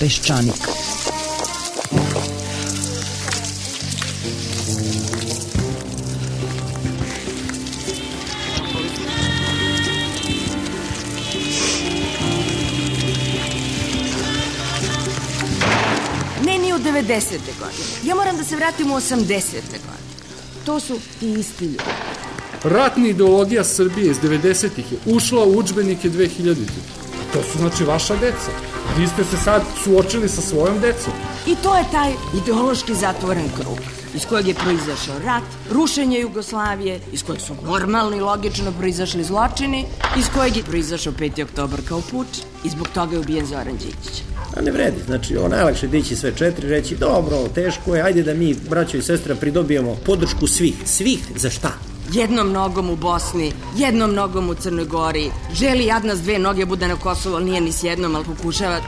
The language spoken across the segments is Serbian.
Peščanik. Ne, ni u 90. godine. Ja moram da se vratim u 80. godine. To su ti isti ljudi. Ratna ideologija Srbije iz 90-ih je ušla u udžbenike 2000-ih. To su znači vaša deca. Vi ste se sad suočili sa svojom decom. I to je taj ideološki zatvoren krug iz kojeg je proizašao rat, rušenje Jugoslavije, iz kojeg su normalno i logično proizašli zločini, iz kojeg je proizašao 5. oktobar kao puč i zbog toga je ubijen Zoran Đinđić. A ne vredi, znači najlakše dići sve četiri, reći dobro, teško je, ajde da mi, braćo i sestra, pridobijemo podršku svih. Svih za šta? Jednom nogom u Bosni, jednom nogom u Crnoj Gori, želi jadna s dve noge bude na Kosovu, ali nije ni s jednom, ali pokušava.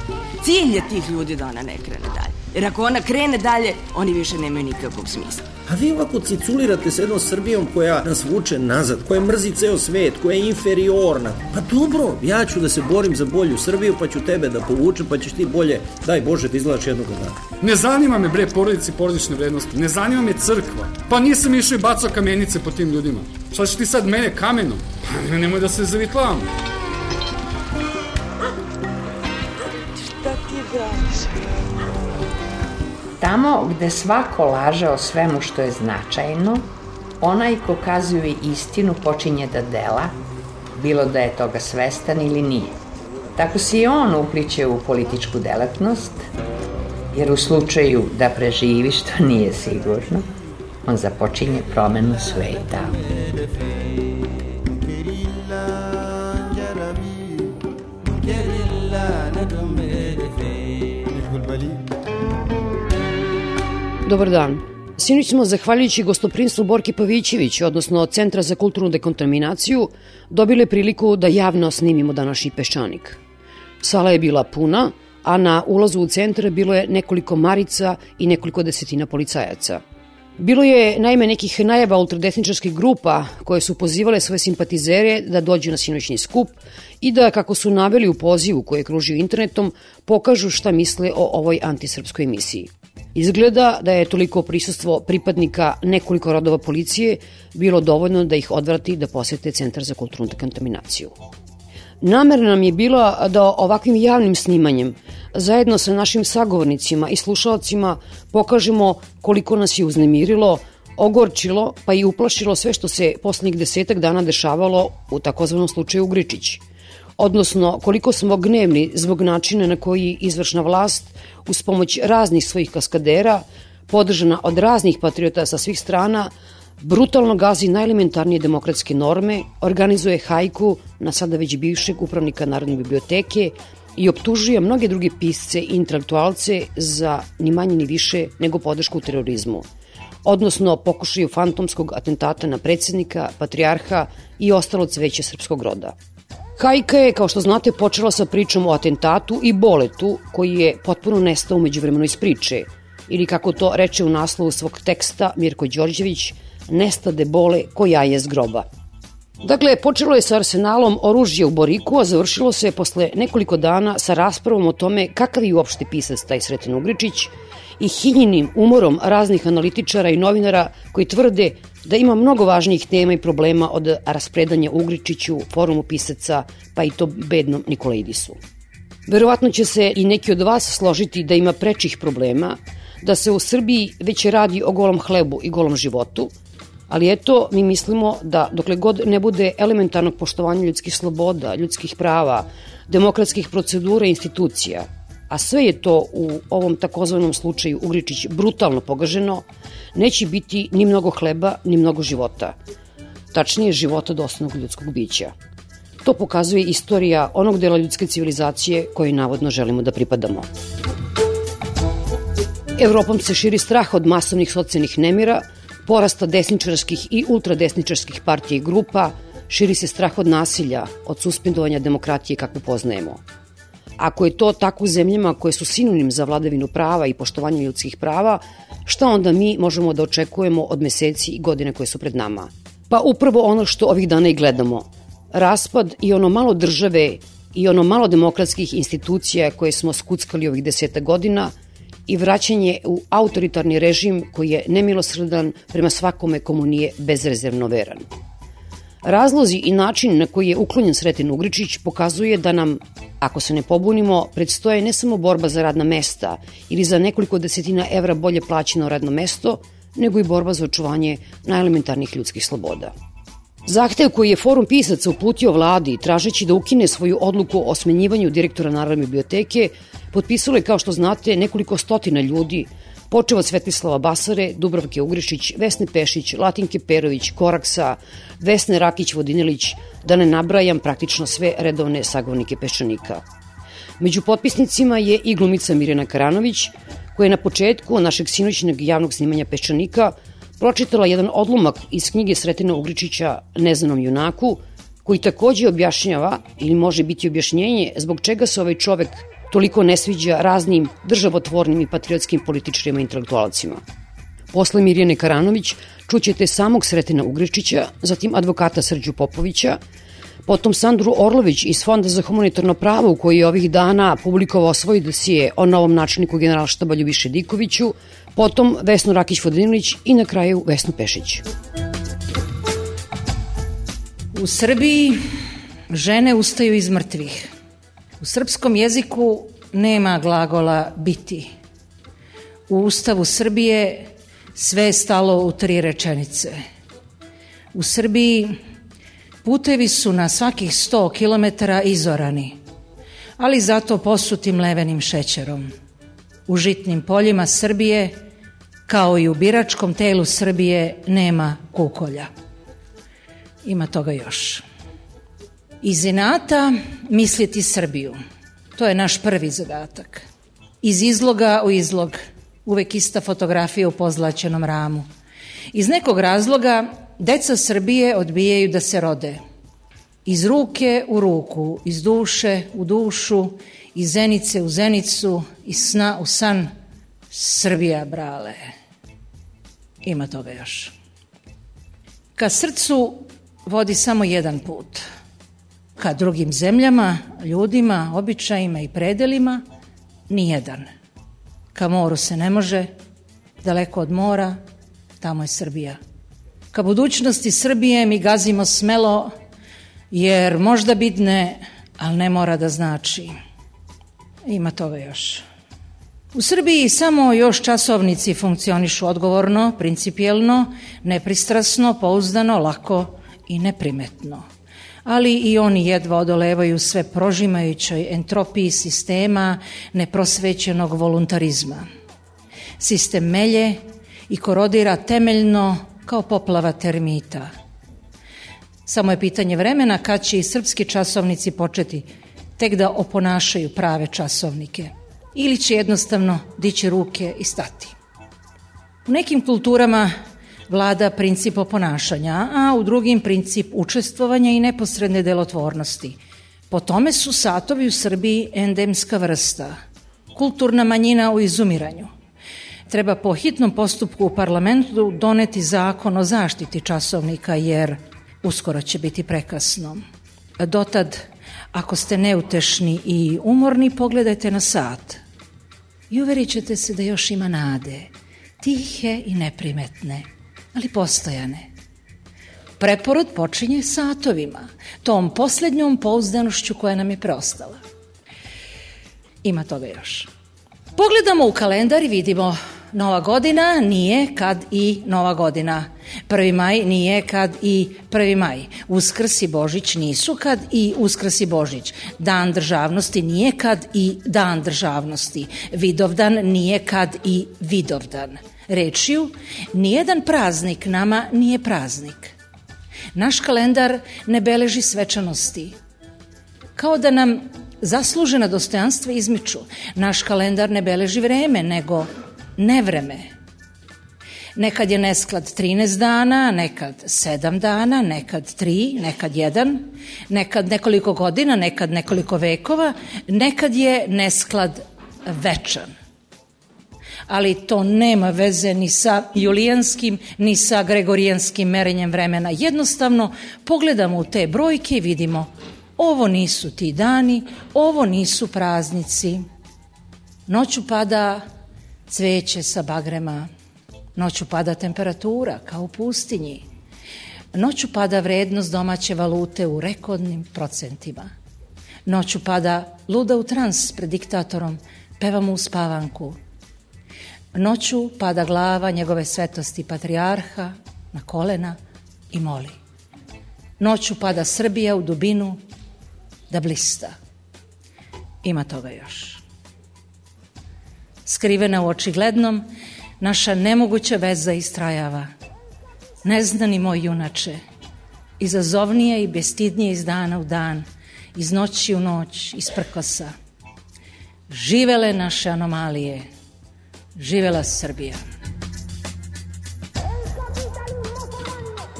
Cilj je tih ljudi da ona ne krene dalje. Jer ako ona krene dalje, oni više nemaju nikakvog smisla. A vi ovako ciculirate s jednom Srbijom koja nas vuče nazad, koja mrzi ceo svet, koja je inferiorna. Pa dobro, ja ću da se borim za bolju Srbiju, pa ću tebe da povučem, pa ćeš ti bolje, daj Bože, da izgledaš jednog dana. Ne zanima me bre porodice i porodične vrednosti, ne zanima me crkva. Pa nisam išao i bacao kamenice po tim ljudima. Šta ćeš ti sad mene kamenom? Pa nemoj da se zavitlavamo. Šta ti braniš? Tamo gde svako laže o svemu što je značajno, onaj ko kazuje istinu počinje da dela, bilo da je toga svestan ili nije. Tako se i on upliće u političku delatnost, jer u slučaju da preživi, što nije sigurno, on započinje promenu sveta. Dobar dan. Sinoć smo, zahvaljujući gostoprimstvu Borke Pavićević, odnosno Centra za kulturnu dekontaminaciju, dobili priliku da javno snimimo današnji Peščanik. Sala je bila puna, a na ulazu u centar bilo je nekoliko marica i nekoliko desetina policajaca. Bilo je naime nekih najava ultradesničarskih grupa koje su pozivale svoje simpatizere da dođu na sinoćni skup i da, kako su naveli u pozivu koji je kružio internetom, pokažu šta misle o ovoj antisrpskoj emisiji. Izgleda da je toliko prisustvo pripadnika nekoliko rodova policije bilo dovoljno da ih odvrati da posete Centar za kulturnu dekontaminaciju. Namerno nam je bila da ovakvim javnim snimanjem, zajedno sa našim sagovornicima i slušalcima, pokažemo koliko nas je uznemirilo, ogorčilo pa i uplašilo sve što se poslednjih 10 dana dešavalo u takozvanom slučaju Ugričić. Odnosno, koliko smo gnevni zbog načina na koji izvršna vlast, uz pomoć raznih svojih kaskadera, podržana od raznih patriota sa svih strana, brutalno gazi najelementarnije demokratske norme, organizuje hajku na sada već bivšeg upravnika Narodne biblioteke i optužuje mnoge druge pisce i intelektualce za ni manje ni više nego podršku terorizmu, odnosno pokušaju fantomskog atentata na predsjednika, patrijarha i ostalo cveće srpskog roda. Hajka je, kao što znate, počela sa pričom o atentatu i boletu koji je potpuno nestao umeđuvremeno iz priče, ili kako to reče u naslovu svog teksta Mirko Đorđević, nestade bole ko jaje z groba. Dakle, počelo je sa arsenalom oružja u Boriku, a završilo se posle nekoliko dana sa raspravom o tome kakav je uopšte pisac taj Sreten Ugričić i hinjenim umorom raznih analitičara i novinara koji tvrde da ima mnogo važnijih tema i problema od raspredanja Ugričiću, forumu pisaca, pa i to bednom Nikolaidisu. Verovatno će se i neki od vas složiti da ima prečih problema, da se u Srbiji već radi o golom hlebu i golom životu, ali eto, mi mislimo da dokle god ne bude elementarnog poštovanja ljudskih sloboda, ljudskih prava, demokratskih procedura i institucija, a sve je to u ovom takozvanom slučaju Ugričić brutalno pogaženo, neće biti ni mnogo hleba, ni mnogo života. Tačnije, života dostojnog ljudskog bića. To pokazuje istorija onog dela ljudske civilizacije kojoj navodno želimo da pripadamo. Evropom se širi strah od masovnih socijalnih nemira, porasta desničarskih i ultradesničarskih partija i grupa, širi se strah od nasilja, od suspendovanja demokratije kakvu poznajemo. Ako je to tako u zemljama koje su sinonim za vladavinu prava i poštovanje ljudskih prava, šta onda mi možemo da očekujemo od meseci i godine koje su pred nama? Pa upravo ono što ovih dana i gledamo. Raspad i ono malo države i ono malo demokratskih institucija koje smo skuckali ovih 10 godina i vraćanje u autoritarni režim koji je nemilosrdan prema svakome komu nije bezrezervno veran. Razlozi i način na koji je uklonjen Sreten Ugričić pokazuje da nam, ako se ne pobunimo, predstoje ne samo borba za radna mesta ili za nekoliko desetina evra bolje plaćeno radno mesto, nego i borba za očuvanje najelementarnijih ljudskih sloboda. Zahtev koji je Forum pisaca uputio vladi tražeći da ukine svoju odluku o smenjivanju direktora Narodne biblioteke potpisalo je, kao što znate, nekoliko stotina ljudi, počeo od Svetislava Basare, Dubravke Ugričić, Vesne Pešić, Latinke Perović, Koraksa, Vesne Rakić-Vodinelić, da ne nabrajam praktično sve redovne sagovornike Peščanika. Među potpisnicima je i glumica Mirjana Karanović, koja je na početku našeg sinoćnog javnog snimanja Peščanika pročitala jedan odlomak iz knjige Sretena Ugričića Neznanom junaku, koji takođe objašnjava, ili može biti objašnjenje, zbog čega se ovaj čovek toliko ne sviđa raznim državotvornim i patriotskim političarima i intelektualcima. Posle Mirjane Karanović čućete samog Sretena Ugričića, zatim advokata Srđu Popovića, potom Sandru Orlović iz Fonda za humanitarno pravo, u koji je ovih dana publikovao svoj dosije o novom načelniku Generalštaba Ljubiši Dikoviću, potom Vesnu Rakić-Vodinelić i na kraju Vesnu Pešić. U Srbiji žene ustaju iz mrtvih. U srpskom jeziku nema glagola biti. U Ustavu Srbije sve je stalo u 3 rečenice. U Srbiji putevi su na svakih 100 kilometara izorani, ali zato posuti mlevenim šećerom. U žitnim poljima Srbije, kao i u biračkom telu Srbije, nema kukolja. Ima toga još. Iz inata misliti Srbiju. To je naš prvi zadatak. Iz izloga u izlog. Uvek ista fotografija u pozlaćenom ramu. Iz nekog razloga deca Srbije odbijaju da se rode. Iz ruke u ruku, iz duše u dušu, iz zenice u zenicu, iz sna u san. Srbija, brale. Ima toga još. Ka srcu vodi samo jedan put. Ka drugim zemljama, ljudima, običajima i predelima, nijedan. Ka moru se ne može, daleko od mora, tamo je Srbija. Ka budućnosti Srbije mi gazimo smelo, jer možda bidne, ali ne mora da znači. Ima toga još. U Srbiji samo još časovnici funkcionišu odgovorno, principijelno, nepristrasno, pouzdano, lako i neprimetno. Ali i oni jedva odolevaju sve prožimajućoj entropiji sistema neprosvećenog voluntarizma. Sistem melje i korodira temeljno kao poplava termita. Samo je pitanje vremena kad će i srpski časovnici početi tek da oponašaju prave časovnike ili će jednostavno dići ruke i stati. U nekim kulturama vlada princip oponašanja, a u drugim princip učestvovanja i neposredne delotvornosti. Po tome su satovi u Srbiji endemska vrsta, kulturna manjina u izumiranju. Treba po hitnom postupku u parlamentu doneti zakon o zaštiti časovnika, jer uskoro će biti prekasno. Dotad, ako ste neutešni i umorni, pogledajte na sat i uverit ćete se da još ima nade, tihe i neprimetne, ali postojane. Preporod počinje satovima, tom posljednjom pouzdanošću koja nam je preostala. Ima toga još. Pogledamo u kalendar i vidimo Nova godina nije kad i Nova godina. 1. maj nije kad i 1. maj. Uskrs i Božić nisu kad i Uskrs i Božić. Dan državnosti nije kad i Dan državnosti. Vidovdan nije kad i Vidovdan. Rečju, nijedan praznik nama nije praznik. Naš kalendar ne beleži svečanosti. Kao da nam zaslužena dostojanstva izmiču. Naš kalendar ne beleži vreme, nego nevreme. Nekad je nesklad 13 dana, nekad 7 dana, nekad 3, nekad 1, nekad nekoliko godina, nekad nekoliko vekova, nekad je nesklad večan. Ali to nema veze ni sa julijanskim, ni sa gregorijanskim merenjem vremena. Jednostavno, pogledamo u te brojke i vidimo Ovo nisu ti dani, ovo nisu praznici. Noću pada cveće sa bagrema, noću pada temperatura kao u pustinji, noću pada vrednost domaće valute u rekordnim procentima, noću pada luda u trans pred diktatorom, peva mu uspavanku, noću pada glava njegove svetosti patrijarha na kolena i moli. Noću pada Srbija u dubinu da blista. Ima toga još. Skrivena u očiglednom, naša nemoguća veza istrajava. Neznani moj junače, izazovnije i bestidnije iz dana u dan, iz noći u noć, iz prkosa. Živele naše anomalije, živela Srbija.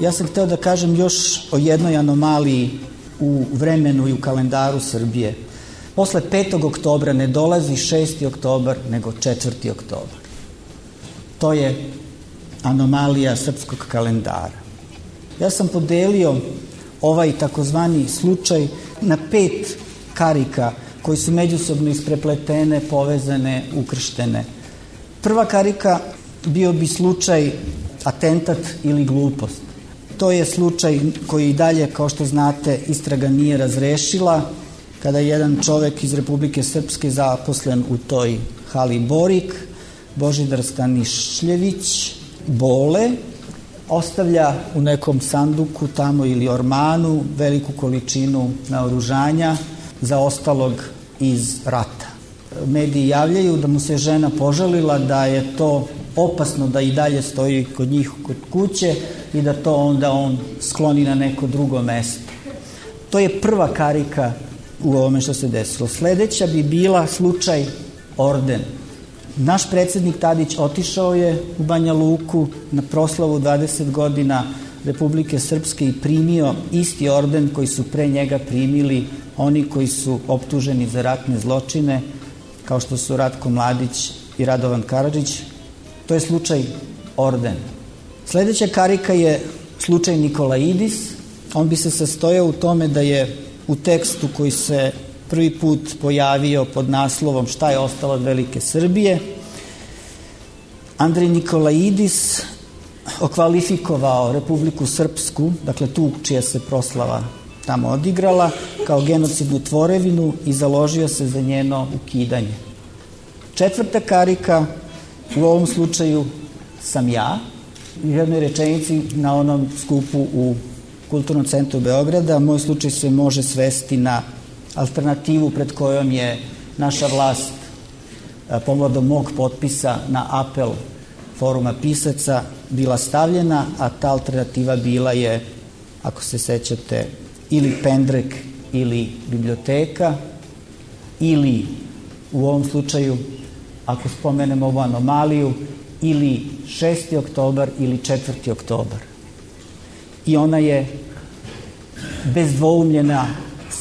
Ja sam hteo da kažem još o jednoj anomaliji u vremenu i u kalendaru Srbije. Posle 5. oktobra ne dolazi 6. oktobar, nego 4. oktobar. To je anomalija srpskog kalendara. Ja sam podelio ovaj takozvani slučaj na 5 karika koji su međusobno isprepletene, povezane, ukrštene. Prva karika bio bi slučaj atentat ili glupost. To je slučaj koji i dalje, kao što znate, istraga nije razrešila, kada je jedan čovek iz Republike Srpske zaposlen u toj hali Borik, Božidar Stanišljević, Bole, ostavlja u nekom sanduku tamo ili ormanu veliku količinu naoružanja zaostalog iz rata. Mediji javljaju da mu se žena požalila da je to opasno da i dalje stoji kod njih kod kuće i da to onda on skloni na neko drugo mesto. To je prva karika u ovome što se desilo. Sledeća bi bila slučaj Orden. Naš predsednik Tadić otišao je u Banja Luku na proslavu 20 godina Republike Srpske i primio isti orden koji su pre njega primili oni koji su optuženi za ratne zločine, kao što su Ratko Mladić i Radovan Karadžić. To je slučaj Orden. Sledeća karika je slučaj Nikolaidis. On bi se sastojao u tome da je u tekstu koji se prvi put pojavio pod naslovom Šta je ostalo od Velike Srbije, Andrej Nikolaidis okvalifikovao Republiku Srpsku, dakle tu čija se proslava tamo odigrala, kao genocidnu tvorevinu i založio se za njeno ukidanje. Četvrta karika u ovom slučaju sam ja, u jednoj rečenici na onom skupu u Kulturnom centru Beograda. Moj slučaj se može svesti na alternativu pred kojom je naša vlast povodom mog potpisa na apel Foruma pisaca bila stavljena, a ta alternativa bila je, ako se sećate, ili pendrek ili biblioteka, ili u ovom slučaju, ako spomenemo ovu anomaliju, ili 6. oktobar ili 4. oktobar. I ona je bez dvoumljena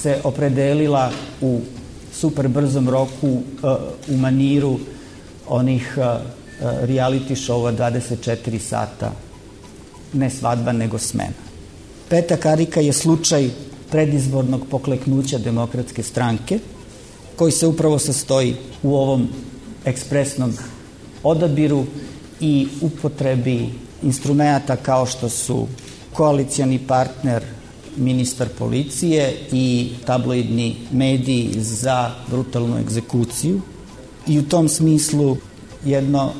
se opredelila u super brzom roku u maniru onih reality showa 24 sata, ne svadba nego smena. Peta karika je slučaj predizbornog pokleknuća Demokratske stranke, koji se upravo sastoji u ovom ekspresnom odabiru i upotrebi instrumenta kao što su koalicioni partner, ministar policije i tabloidni mediji za brutalnu egzekuciju. I u tom smislu jedno,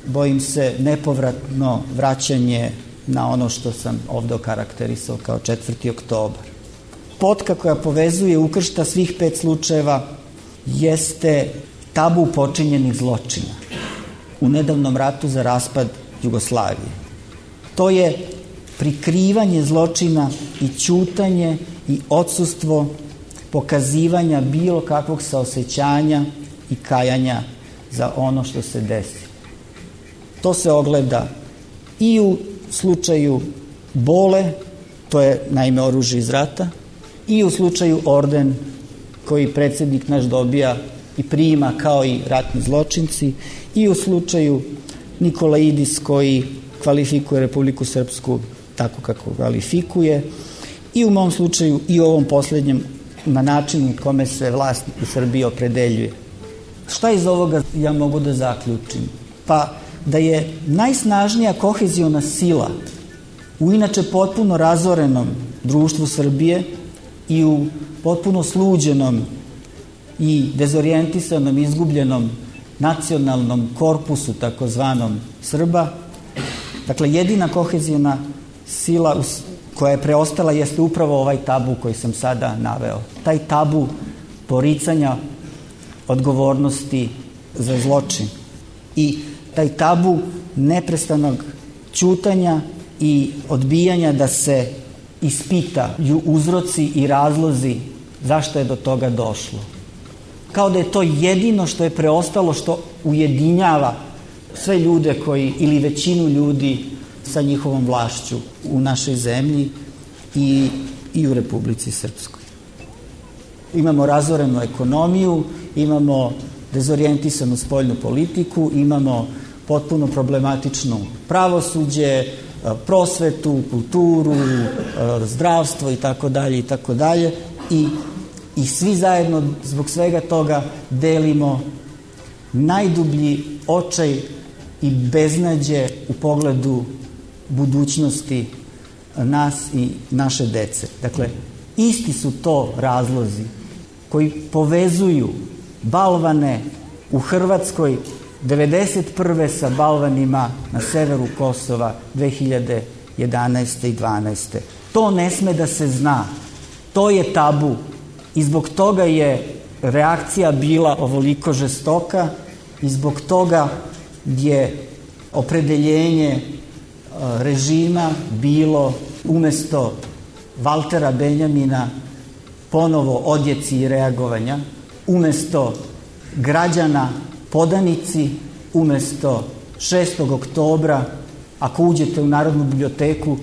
bojim se, nepovratno vraćanje na ono što sam ovde okarakterisao kao 4. oktobar. Potka koja povezuje, ukršta svih 5 slučajeva jeste tabu počinjenih zločina u nedavnom ratu za raspad Jugoslavije. To je prikrivanje zločina i ćutanje i odsustvo pokazivanja bilo kakvog saosećanja i kajanja za ono što se desi. To se ogleda i u slučaju Bole, to je naime oružje iz rata, i u slučaju Orden koji predsednik naš dobija i prima kao i ratni zločinci, i u slučaju Nikolaidis koji kvalifikuje Republiku Srpsku tako kako kvalifikuje, i u mom slučaju i u ovom poslednjem na način kome se vlast u Srbiji opredeljuje. Šta iz ovoga ja mogu da zaključim? Pa da je najsnažnija koheziona sila u inače potpuno razorenom društvu Srbije i u potpuno sluđenom i dezorijentisanom, izgubljenom nacionalnom korpusu takozvanom Srba. Dakle, jedina kohezijona sila koja je preostala jeste upravo ovaj tabu koji sam sada naveo. Taj tabu poricanja odgovornosti za zločin i taj tabu neprestanog ćutanja i odbijanja da se ispitaju uzroci i razlozi zašto je do toga došlo. Kao da je to jedino što je preostalo što ujedinjava sve ljude koji, ili većinu ljudi sa njihovom vlašću u našoj zemlji i u Republici Srpskoj. Imamo razorenu ekonomiju, imamo dezorijentisanu spoljnu politiku, imamo potpuno problematično pravosuđe, prosvetu, kulturu, zdravstvo i tako dalje i svi zajedno zbog svega toga delimo najdublji očaj i beznađe u pogledu budućnosti nas i naše dece. Dakle, isti su to razlozi koji povezuju balvane u Hrvatskoj 1991. sa balvanima na severu Kosova 2011. i 2012. To ne sme da se zna. To je tabu i zbog toga je reakcija bila ovoliko žestoka i zbog toga je opredeljenje režima bilo umesto Valtera Benjamina ponovo odjeci i reagovanja, umesto građana podanici, umesto 6. oktobra, ako uđete u Narodnu biblioteku,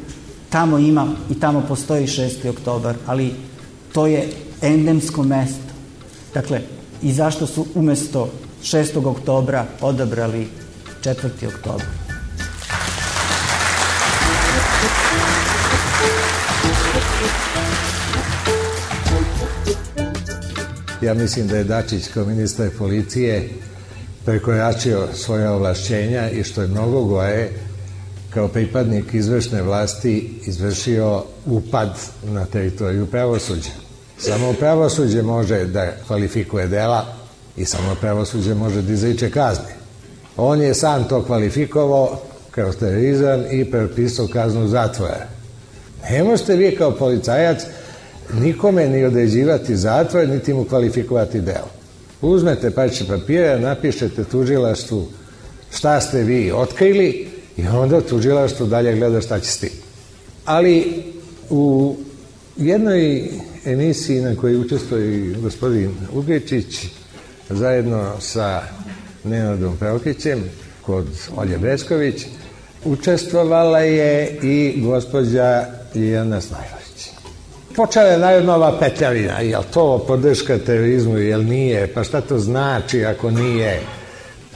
tamo ima i tamo postoji 6. oktobar, ali to je endemsko mesto. Dakle, i zašto su umesto 6. oktobra odabrali 4. oktobar? Ja mislim da je Dačić kao ministar policije prekoračio svoje ovlašćenja i što je mnogo gore, kao pripadnik izvršne vlasti izvršio upad na teritoriju pravosuđa. Samo pravosuđe može da kvalifikuje dela i samo pravosuđe može da izriče kazne. On je sam to kvalifikovao kao terorizam i propisao kaznu zatvora. Ne možete vi kao policajac nikome ni određivati zatvor, niti mu kvalifikovati delo. Uzmete parče papira, napišete tužilaštvu šta ste vi otkrili i onda tužilaštvo dalje gleda šta će s tim. Ali u jednoj emisiji na kojoj učestvuje gospodin Ugečić zajedno sa Nenadom Praukićem kod Olje Besković učestvovala je i gospođa Ljiljana Snajlović. Počela je najodnova petljavina, jel to podrška terorizmu, jel nije, pa šta to znači ako nije.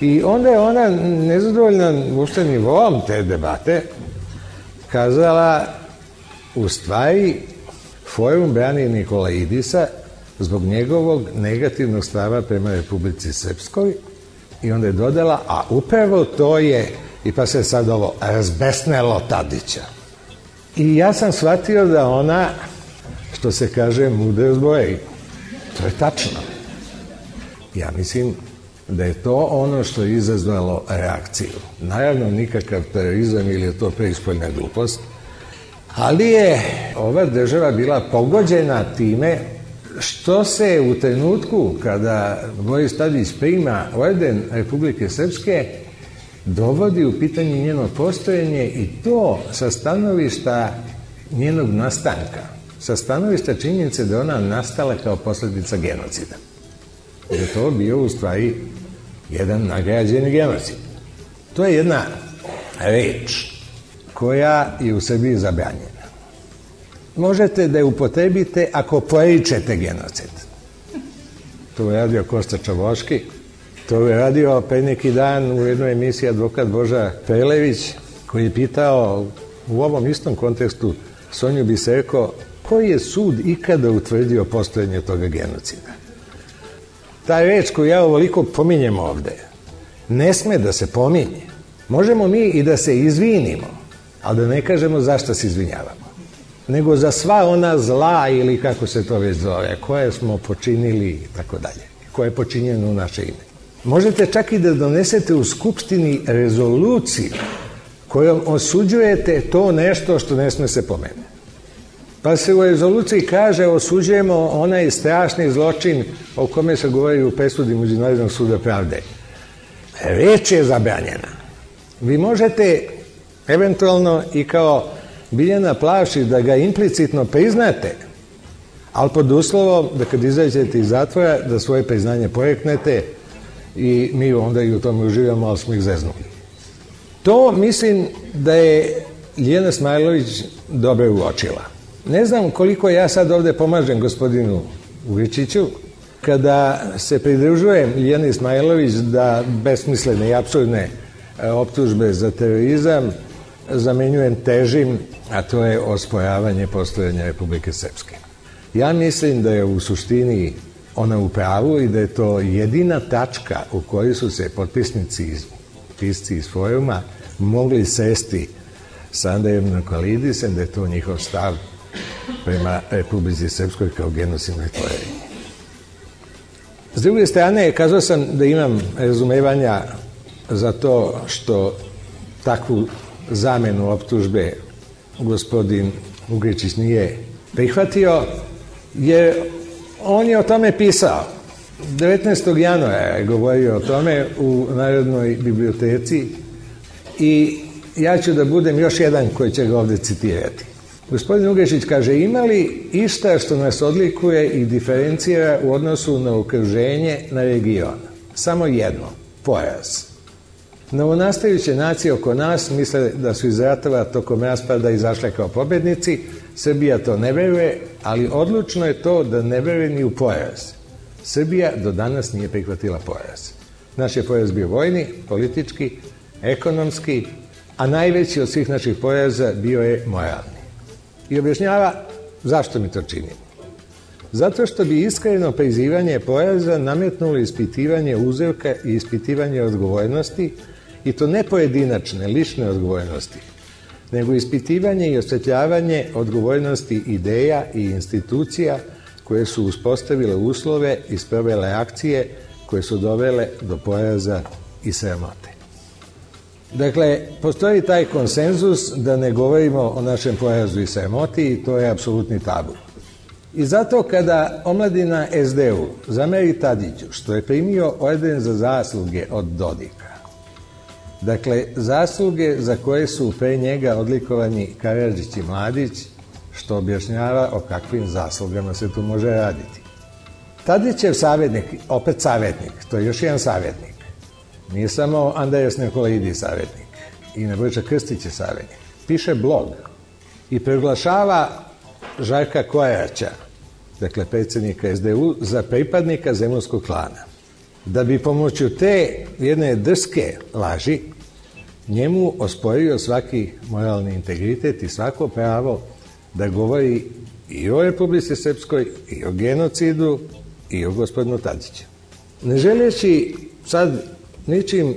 I onda je ona nezadovoljna uopšte nivoom te debate kazala u stvari Forum brani Nikolaidisa zbog njegovog negativnog stava prema Republici Srpskoj i onda je dodala, a upravo to je, i pa se sad ovo razbesnelo Tadića. I ja sam shvatio da ona, što se kaže, mudro zboji. To je tačno. Ja mislim da je to ono što je izazvalo reakciju. Naravno, nikakav terorizam ili je to preispoljna glupost, ali je ova država bila pogođena time što se u trenutku kada Boris Tadić prima orden Republike Srpske dovodi u pitanje njeno postojanje i to sa stanovišta njenog nastanka, sa stanovišta činjenice da ona nastala kao posljedica genocida. Da je to bio u stvari jedan nagrađeni genocid. To je jedna reč koja je u Srbiji zabranjena. Možete da je upotrebite ako poričete genocid. To je radio Kosta Čavoški, to je radio pre neki dan u jednoj emisiji advokat Boža Prelević, koji je pitao u ovom istom kontekstu Sonju Biserko Koji je sud ikada utvrdio postojanje toga genocida? Ta reč koju ja ovoliko pominjem ovde, ne sme da se pominje. Možemo mi i da se izvinimo, ali da ne kažemo zašto se izvinjavamo. Nego za sva ona zla ili kako se to već zove, koje smo počinili i tako dalje, koje je počinjeno u naše ime. Možete čak i da donesete u Skupštini rezoluciju kojom osuđujete to nešto što ne sme se pomene. Pa se u rezoluciji kaže osuđujemo onaj strašni zločin o kome se govori u presudi Međunarodnog suda pravde. Reč je zabranjena. Vi možete eventualno i kao Biljana Plavšić da ga implicitno priznate, ali pod uslovom da kad izađete iz zatvora da svoje priznanje poreknete i mi onda i u tome uživamo, ali smo ih zeznuli. To mislim da je Ljiljana Smajlović dobro uočila. Ne znam koliko ja sad ovde pomažem gospodinu Ugičiću kada se pridružujem Ljiljani Smajlović da besmislene i apsurdne optužbe za terorizam zamenjujem težim, a to je osporavanje postojanja Republike Srpske. Ja mislim da je u suštini ona u pravu i da je to jedina tačka u kojoj su se potpisnici, pisci iz foruma mogli sesti sa Andrejem Nikolidisem, da je to njihov stav prema Republici Srpskoj kao genocidnoj tvorevini. S druge strane, kazao sam da imam razumevanja za to što takvu zamenu optužbe gospodin Ugričić nije prihvatio, jer on je o tome pisao. 19. januara je govorio o tome u Narodnoj biblioteci i ja ću da budem još jedan koji će ga ovde citirati. Gospodin Ugričić kaže, ima li išta što nas odlikuje i diferencira u odnosu na okruženje, na region? Samo jedno, poraz. Novonastajuće nacije oko nas misle da su iz ratova tokom raspada izašle kao pobednici. Srbija to ne veruje, ali odlučno je to da ne veruje ni u poraz. Srbija do danas nije prihvatila poraz. Naš je poraz bio vojni, politički, ekonomski, a najveći od svih naših poraza bio je moralni. I objašnjava zašto mi to činimo. Zato što bi iskreno prizivanje poraza nametnulo ispitivanje uzroka i ispitivanje odgovornosti, i to ne pojedinačne, lične odgovornosti, nego ispitivanje i osvetljavanje odgovornosti ideja i institucija koje su uspostavile uslove i sprovele akcije koje su dovele do poraza i sramote. Dakle, postoji taj konsenzus da ne govorimo o našem porazu i sramoti i to je apsolutni tabu. I zato kada omladina SD-u zameri Tadiću što je primio orden za zasluge od Dodika, dakle, zasluge za koje su pre njega odlikovani Karadžić i Mladić, što objašnjava o kakvim zaslugama se tu može raditi. Tadićev savjetnik, opet savjetnik, to je još jedan savjetnik. Nije samo Andrejas Nikolidis savjetnik i Nebojša Krstić je savjetnik. Piše blog i proglašava Žarka Koraća, dakle predsjednika SDU, za pripadnika zemunskog klana. Da bi pomoću te jedne drske laži njemu osporio svaki moralni integritet i svako pravo da govori i o Republici Srpskoj, i o genocidu, i o gospodinu Tadiću. Ne želeći sad ničim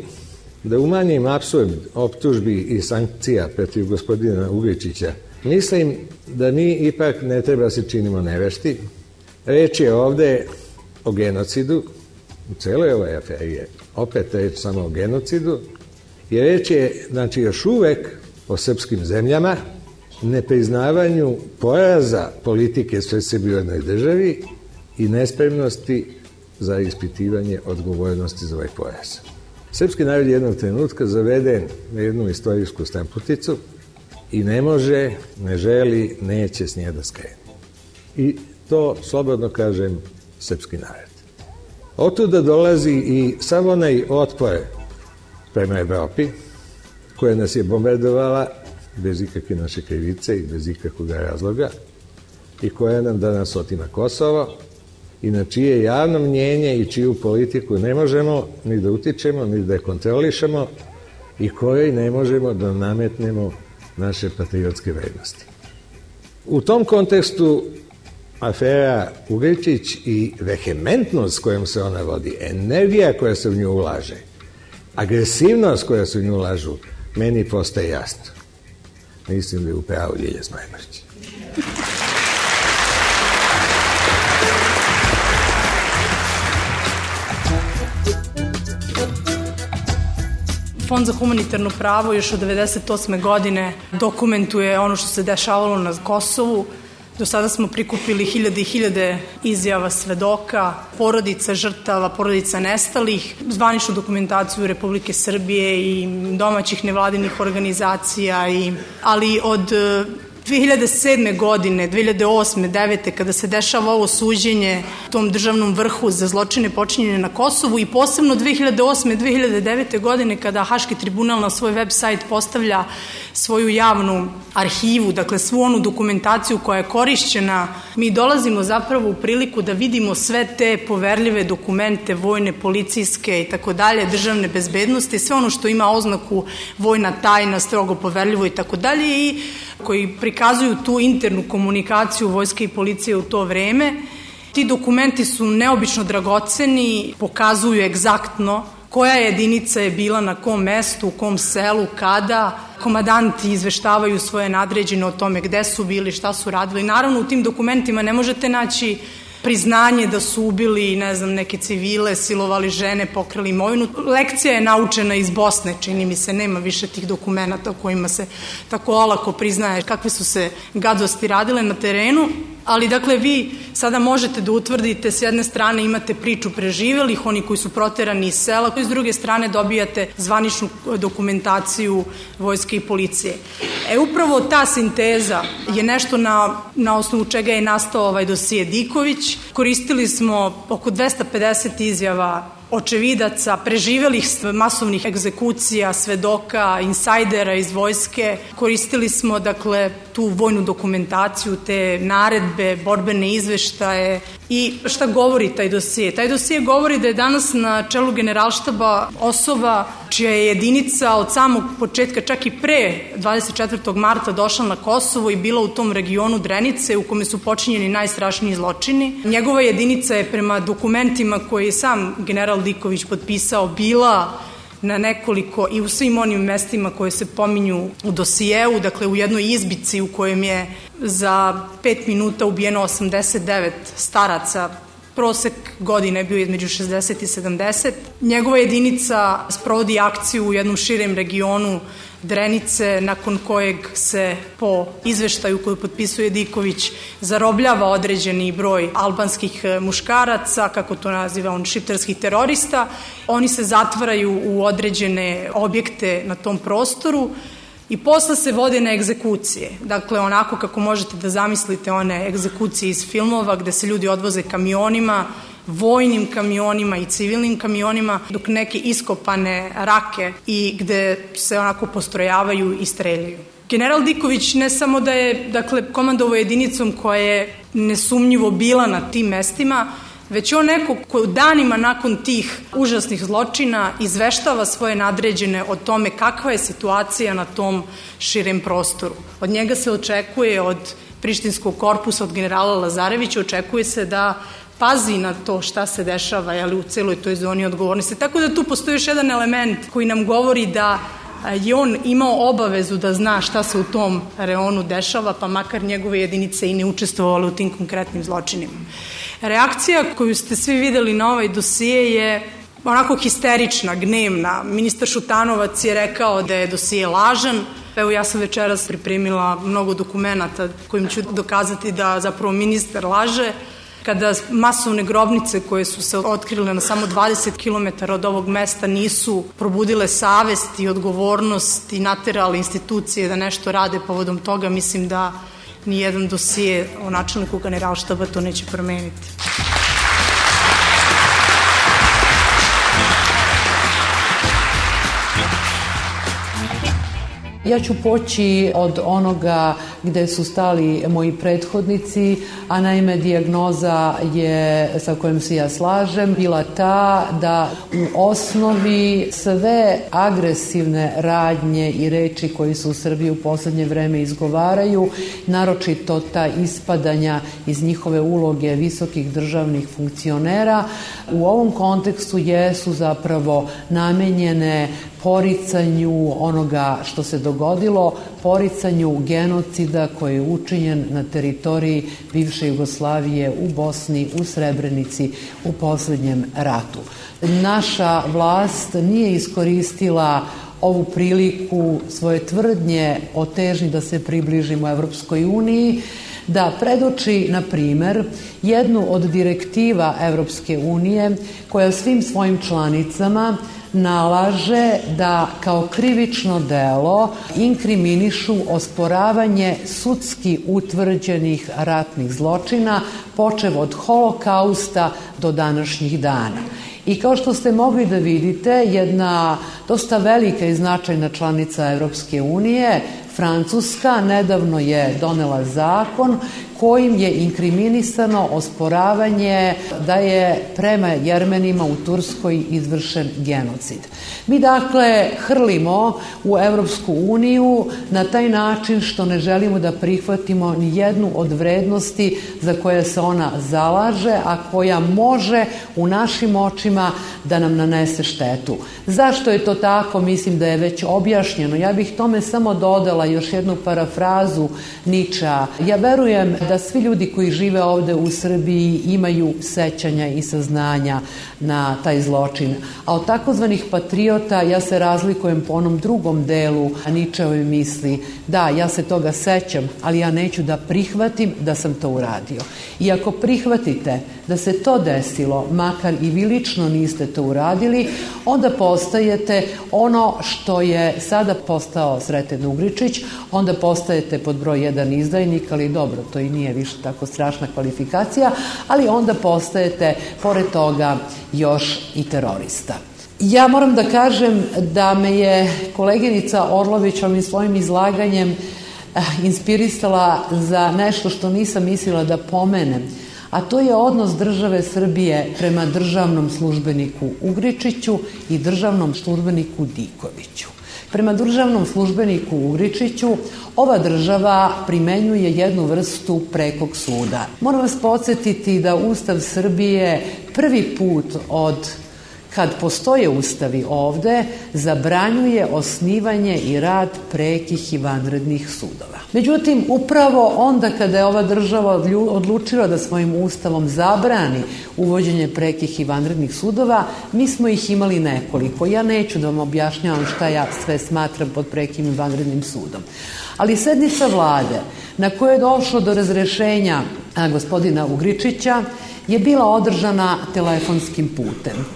da umanjim apsurd optužbi i sankcija protiv gospodina Ugričića, mislim da mi ipak ne treba se činimo nevešti. Reč je ovde o genocidu, u celoj ovoj aferi je opet reč samo o genocidu, i reč je, znači, još uvek o srpskim zemljama, nepriznavanju poraza politike sve sebi u jednoj državi i nespremnosti za ispitivanje odgovornosti za ovaj poraz. Srpski narod je jednog trenutka zaveden na jednu istorijsku stramputicu i ne može, ne želi, neće s nje da skrene. I to, slobodno kažem, srpski narod. Otuda dolazi i sav onaj otpor prema Evropi, koja nas je bombardovala bez ikakve naše krivice i bez ikakvog razloga i koja nam danas otima Kosovo i na čije javno mnjenje i čiju politiku ne možemo ni da utičemo, ni da je kontrolišemo i kojoj ne možemo da nametnemo naše patriotske vrednosti. U tom kontekstu afera Ugričić i vehementnost kojom se ona vodi, energija koja se u nju ulaže, agresivnost koja se u nju ulažu, meni postaje jasno. Mislim da je upravo Ljilja Smajmarić. Fond za humanitarno pravo još od 1998. godine dokumentuje ono što se dešavalo na Kosovu. Do sada smo prikupili hiljade i hiljade izjava svedoka, porodica žrtava, porodica nestalih, zvaničnu dokumentaciju Republike Srbije i domaćih nevladinih organizacija, ali od 2007. godine, 2008. 2009. kada se dešava ovo suđenje tom državnom vrhu za zločine počinjene na Kosovu i posebno 2008. 2009. godine kada Haški tribunal na svoj web sajt postavlja svoju javnu arhivu, dakle svu onu dokumentaciju koja je korišćena, mi dolazimo zapravo u priliku da vidimo sve te poverljive dokumente, vojne, policijske i tako dalje, državne bezbednosti, sve ono što ima oznaku vojna tajna, strogo poverljivo i tako dalje i koji prikazuju tu internu komunikaciju vojske i policije u to vreme. Ti dokumenti su neobično dragoceni, pokazuju egzaktno koja jedinica je bila na kom mestu, u kom selu, kada. Komandanti izveštavaju svoje nadređene o tome gde su bili, šta su radili. Naravno, u tim dokumentima ne možete naći priznanje da su ubili, ne znam, neke civile, silovali žene, pokrali imovinu. Lekcija je naučena iz Bosne, čini mi se, nema više tih dokumenta u kojima se tako olako priznaje kakve su se gadosti radile na terenu. Ali, dakle, vi sada možete da utvrdite, s jedne strane imate priču preživelih, oni koji su proterani iz sela, koji s druge strane dobijate zvaničnu dokumentaciju vojske i policije. Upravo ta sinteza je nešto na osnovu čega je nastao ovaj dosije Diković. Koristili smo oko 250 izjava očevidaca, preživelih masovnih egzekucija, svedoka, insajdera iz vojske. Koristili smo, dakle, tu vojnu dokumentaciju, te naredbe, borbene izveštaje. I šta govori taj dosije? Taj dosije govori da je danas na čelu Generalštaba osoba čija je jedinica od samog početka, čak i pre 24. marta došla na Kosovo i bila u tom regionu Drenice u kome su počinjeni najstrašniji zločini. Njegova jedinica je prema dokumentima koje je sam general Diković potpisao bila na nekoliko i u svim onim mestima koje se pominju u dosijeu, dakle u jednoj izbici u kojem je za 5 minuta ubijeno 89 staraca, prosek godine je bio između 60 i 70. Njegova jedinica sprovodi akciju u jednom širem regionu Drenice, nakon kojeg se po izveštaju koju potpisuje Diković zarobljava određeni broj albanskih muškaraca, kako to naziva on, šiptarskih terorista. Oni se zatvaraju u određene objekte na tom prostoru i posle se vode na egzekucije. Dakle, onako kako možete da zamislite one egzekucije iz filmova gde se ljudi odvoze kamionima, vojnim kamionima i civilnim kamionima, dok neke iskopane rake i gde se onako postrojavaju i streljaju. General Diković ne samo da je, dakle, komandovao jedinicom koja je nesumnjivo bila na tim mestima, već on neko ko danima nakon tih užasnih zločina izveštava svoje nadređene o tome kakva je situacija na tom širem prostoru. Od njega se očekuje, od prištinskog korpusa, od generala Lazarevića, očekuje se da pazi na to šta se dešava u celoj toj zoni odgovornosti. Tako da tu postoji još jedan element koji nam govori da je on imao obavezu da zna šta se u tom reonu dešava, pa makar njegove jedinice i ne učestvovale u tim konkretnim zločinima. Reakcija koju ste svi videli na ovaj dosije je onako histerična, gnevna. Ministar Šutanovac je rekao da je dosije lažan. Evo, ja sam večeras pripremila mnogo dokumenata kojim ću dokazati da zapravo ministar laže. Kada masovne grobnice koje su se otkrile na samo 20 km od ovog mesta nisu probudile savest i odgovornost i naterale institucije da nešto rade povodom toga, mislim da nijedan dosije o načelniku Generalštaba to neće promeniti. Ja ću poći od onoga gde su stali moji prethodnici, a naime dijagnoza je, sa kojom se ja slažem, bila ta da u osnovi sve agresivne radnje i reči koji se u Srbiji u poslednje vreme izgovaraju, naročito ta ispadanja iz njihove uloge visokih državnih funkcionera, u ovom kontekstu jesu zapravo namenjene poricanju onoga što se dogodilo, poricanju genocida koji je učinjen na teritoriji bivše Jugoslavije u Bosni, u Srebrenici, u poslednjem ratu. Naša vlast nije iskoristila ovu priliku svoje tvrdnje o težnji da se približimo Evropskoj uniji, da predoči, na primer, jednu od direktiva Evropske unije koja svim svojim članicama nalaže da kao krivično delo inkriminišu osporavanje sudski utvrđenih ratnih zločina, počev od Holokausta do današnjih dana. I kao što ste mogli da vidite, jedna dosta velika i značajna članica Evropske unije, Francuska, nedavno je donela zakon kojim je inkriminisano osporavanje da je prema Jermenima u Turskoj izvršen genocid. Mi dakle hrlimo u Evropsku uniju na taj način što ne želimo da prihvatimo ni jednu od vrednosti za koje se ona zalaže, a koja može u našim očima da nam nanese štetu. Zašto je to tako? Mislim da je već objašnjeno. Ja bih tome samo dodala još jednu parafrazu Ničea. Ja verujem da svi ljudi koji žive ovde u Srbiji imaju sećanja i saznanja na taj zločin. A od takozvanih patriota ja se razlikujem po onom drugom delu Ničeove misli. Da, ja se toga sećam, ali ja neću da prihvatim da sam to uradio. I ako prihvatite da se to desilo, makar i vi lično niste to uradili, onda postajete ono što je sada postao Sreten Ugričić, onda postajete pod broj 1 izdajnik, ali dobro, to i nije više tako strašna kvalifikacija, ali onda postajete, pored toga, još i terorista. Ja moram da kažem da me je koleginica Orlović ovim svojim izlaganjem inspirisala za nešto što nisam mislila da pomenem, a to je odnos države Srbije prema državnom službeniku Ugričiću i državnom službeniku Dikoviću. Prema državnom službeniku Ugričiću ova država primenjuje jednu vrstu prekog suda. Moram vas podsjetiti da Ustav Srbije prvi put od kad postoje ustavi ovde, zabranjuje osnivanje i rad prekih i vanrednih sudova. Međutim, upravo onda kada je ova država odlučila da svojim ustavom zabrani uvođenje prekih i vanrednih sudova, mi smo ih imali nekoliko. Ja neću da vam objašnjavam šta ja sve smatram pod prekim i vanrednim sudom. Ali sednica vlade na kojoj je došlo do razrešenja gospodina Ugričića je bila održana telefonskim putem.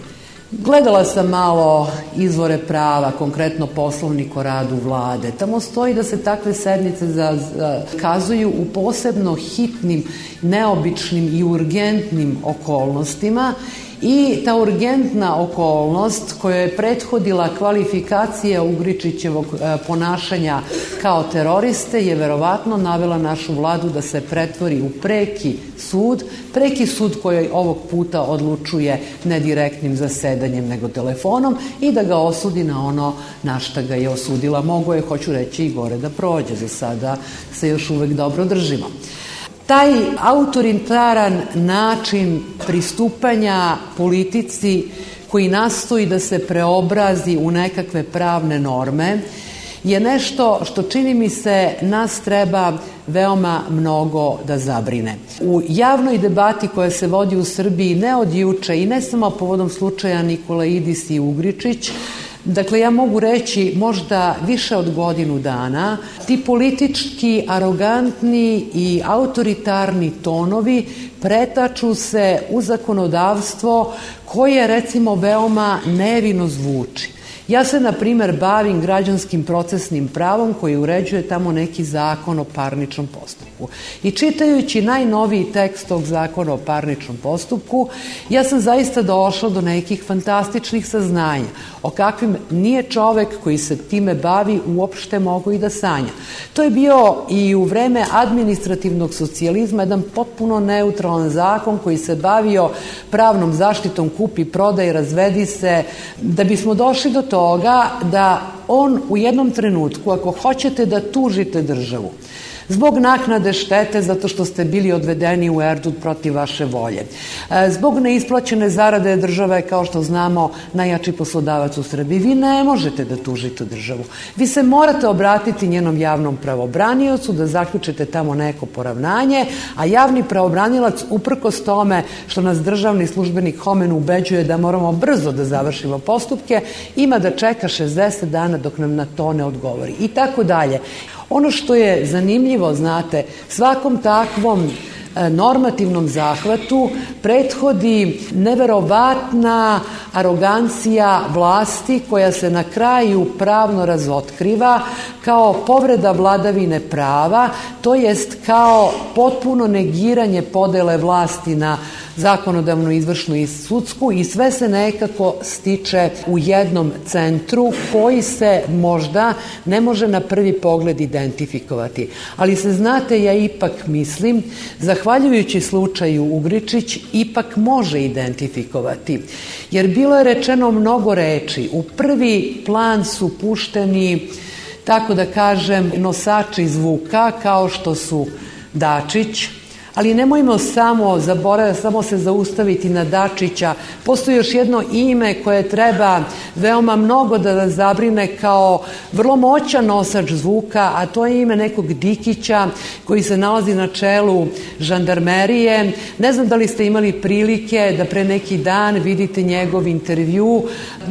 Gledala sam malo izvore prava, konkretno Poslovnik o radu vlade. Tamo stoji da se takve sednice zakazuju u posebno hitnim, neobičnim i urgentnim okolnostima i ta urgentna okolnost koja je prethodila kvalifikacija Ugričićevog ponašanja kao teroriste je verovatno navela našu vladu da se pretvori u preki sud koji ovog puta odlučuje ne direktnim zasedanjem nego telefonom i da ga osudi na ono na šta ga je osudila. Mogu je, hoću reći, i gore da prođe. Za sada se još uvek dobro držimo. Taj autoritaran način pristupanja politici koji nastoji da se preobrazi u nekakve pravne norme je nešto što, čini mi se, nas treba veoma mnogo da zabrine. U javnoj debati koja se vodi u Srbiji ne od juče i ne samo povodom slučaja Nikolaidis i Ugričić, dakle, ja mogu reći možda više od godinu dana, ti politički, arogantni i autoritarni tonovi pretaču se u zakonodavstvo koje, recimo, veoma nevino zvuči. Ja se, na primer, bavim građanskim procesnim pravom koji uređuje tamo neki zakon o parničnom postupku. I čitajući najnoviji tekst tog zakona o parničnom postupku, ja sam zaista došla do nekih fantastičnih saznanja o kakvim nije čovek koji se time bavi uopšte mogao i da sanja. To je bio i u vreme administrativnog socijalizma jedan potpuno neutralan zakon koji se bavio pravnom zaštitom kupi, prodaj, razvedi se, da bismo došli do toga da on u jednom trenutku, ako hoćete da tužite državu zbog naknade štete zato što ste bili odvedeni u Erdut protiv vaše volje, zbog neisplaćene zarade države, kao što znamo, najjači poslodavac u Srbiji, vi ne možete da tužite državu. Vi se morate obratiti njenom javnom pravobraniocu, da zaključite tamo neko poravnanje, a javni pravobranilac, uprkos tome što nas državni službenik Homen ubeđuje da moramo brzo da završimo postupke, ima da čeka 60 dana dok nam na to ne odgovori. I tako dalje. Ono što je zanimljivo, znate, svakom takvom normativnom zahvatu prethodi neverovatna arogancija vlasti koja se na kraju pravno razotkriva kao povreda vladavine prava, to jest kao potpuno negiranje podele vlasti na zakonodavnu, izvršnu i sudsku, i sve se nekako stiče u jednom centru koji se možda ne može na prvi pogled identifikovati. Ali se, znate, ja ipak mislim, zahvaljujući slučaju Ugričić, ipak može identifikovati. Jer bilo je rečeno mnogo reči. U prvi plan su pušteni, tako da kažem, nosači zvuka kao što su Dačić, ali nemojmo samo se zaustaviti na Dačića. Postoji još jedno ime koje treba veoma mnogo da nas zabrine kao vrlo moćan nosač zvuka, a to je ime nekog Dikića koji se nalazi na čelu žandarmerije. Ne znam da li ste imali prilike da pre neki dan vidite njegov intervju.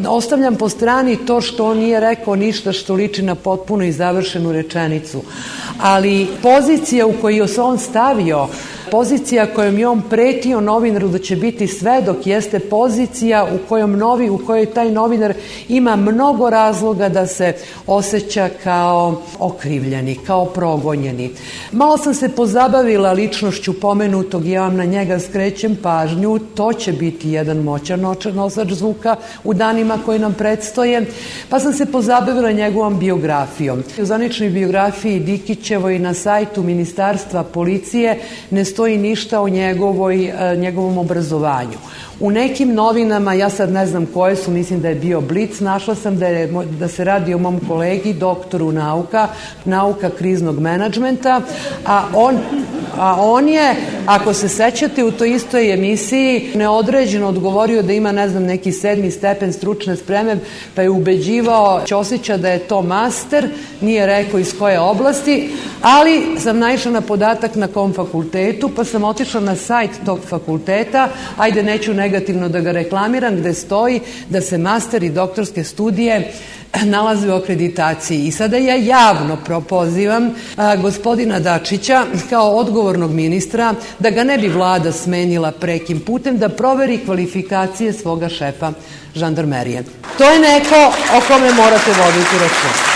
Ostavljam po strani to što on nije rekao ništa što liči na potpuno i završenu rečenicu. Ali pozicija u koju se on stavio, pozicija kojom je on pretio novinaru da će biti svedok, jeste pozicija u kojoj taj novinar ima mnogo razloga da se osjeća kao okrivljeni, kao progonjeni. Malo sam se pozabavila ličnošću pomenutog, ja vam na njega skrećem pažnju, to će biti jedan moćan nosač zvuka u danima koji nam predstoje, pa sam se pozabavila njegovom biografijom. U zvaničnoj biografiji Dikićevoj na sajtu Ministarstva policije ne stoji ništa o njegovom obrazovanju. U nekim novinama, ja sad ne znam koje su, mislim da je bio Blic, našla sam da se radi o mom kolegi, doktoru nauka kriznog menadžmenta, a on je, ako se sećate, u toj istoj emisiji neodređeno odgovorio da ima, ne znam, neki 7. stepen stručne spreme, pa je ubeđivao Ćosića da je to master, nije rekao iz koje oblasti, ali sam naišla na podatak na kom fakultetu, pa sam otišla na sajt tog fakulteta, ajde neću negativno da ga reklamiram, gde stoji da se master i doktorske studije nalaze u akreditaciji. I sada ja javno propozivam gospodina Dačića kao odgovornog ministra da ga ne bi vlada smenila prekim putem, da proveri kvalifikacije svoga šefa žandarmerije. To je neko o kome morate voditi računa.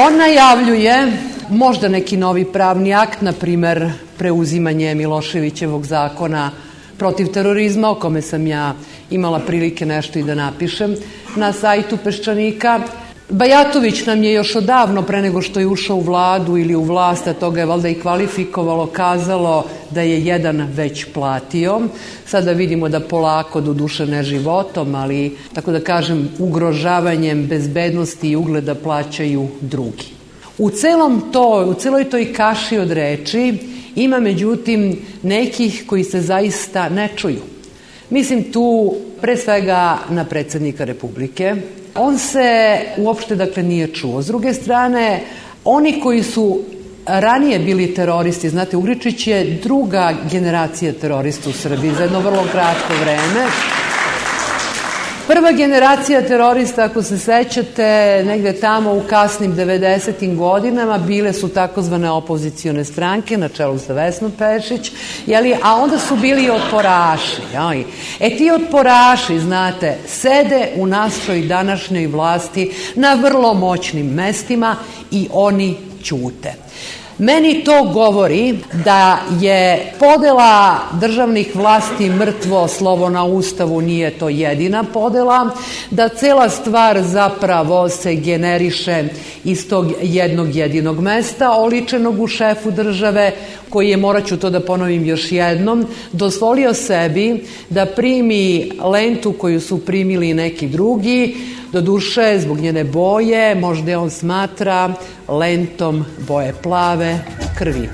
On najavljuje možda neki novi pravni akt, na primer preuzimanje Miloševićevog zakona protiv terorizma, o kome sam ja imala prilike nešto i da napišem na sajtu Peščanika. Bajatović nam je još odavno, pre nego što je ušao u vladu ili u vlast, a to ga je valjda i kvalifikovalo, kazalo da je jedan već platio. Sada vidimo da polako, doduše ne životom, ali tako da kažem ugrožavanjem bezbednosti i ugleda plaćaju drugi. U celoj toj kaši od reči ima međutim nekih koji se zaista ne čuju. Mislim tu pre svega na predsjednika Republike. On se uopšte nije čuo. S druge strane, oni koji su ranije bili teroristi, znate, Ugričić je druga generacija terorista u Srbiji za jedno vrlo kratko vreme. Prva generacija terorista, ako se sećate, negde tamo u kasnim 90. godinama bile su takozvane opozicione stranke na čelu sa Vesnom Pešić, a onda su bili otporaši. Ti otporaši, znate, sede u našoj današnjoj vlasti na vrlo moćnim mestima i oni ćute. Meni to govori da je podela državnih vlasti mrtvo slovo na Ustavu, nije to jedina podela, da cela stvar zapravo se generiše iz tog jednog jedinog mesta, oličenog u šefu države, koji je, morat ću to da ponovim još jednom, dozvolio sebi da primi lentu koju su primili neki drugi, doduše zbog njene boje, možda on smatra lentom boje plave krvi.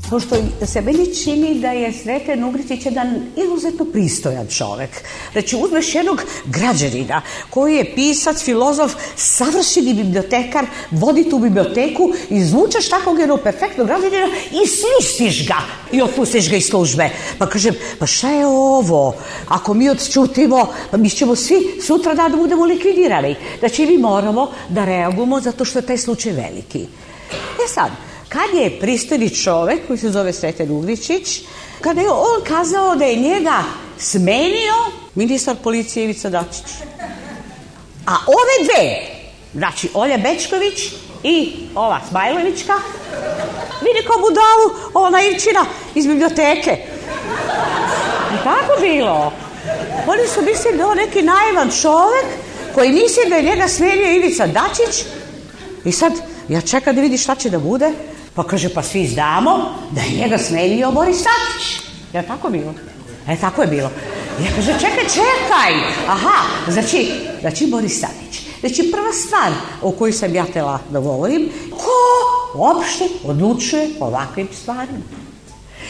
Pošto se meni čini da je Sreten Ugričić jedan izuzetno pristojan čovek. Znači, uzmeš jednog građanina koji je pisac, filozof, savršeni bibliotekar, vodi tu biblioteku, izvučeš takvog jednog perfektnog građanina i svistiš ga i otpustiš ga iz službe. Pa kažem, pa šta je ovo? Ako mi odčutimo, pa mi ćemo svi sutra da budemo likvidirani. Znači, mi moramo da reagujemo zato što je taj slučaj veliki. Sad, kad je pristojni čovek koji se zove Sreten Ugričić, kada je on kazao da je njega smenio ministar policije Ivica Dačić. A ove dve, znači Olja Bećković i ova Smajlovićka, vidi kao budalu ova naivčina iz biblioteke. I tako bilo. Oni su mislili da je on neki naivan čovek koji misli da je njega smenio Ivica Dačić i sad ja čekam da vidi šta će da bude. Pa kaže, pa svi znamo da je njega smenio Boris Tadić. Je li tako bilo? Tako je bilo. Ja kaže, čekaj. Aha, znači Boris Tadić. Znači, prva stvar o kojoj sam ja htela da govorim, ko uopšte odlučuje o ovakvim stvarima?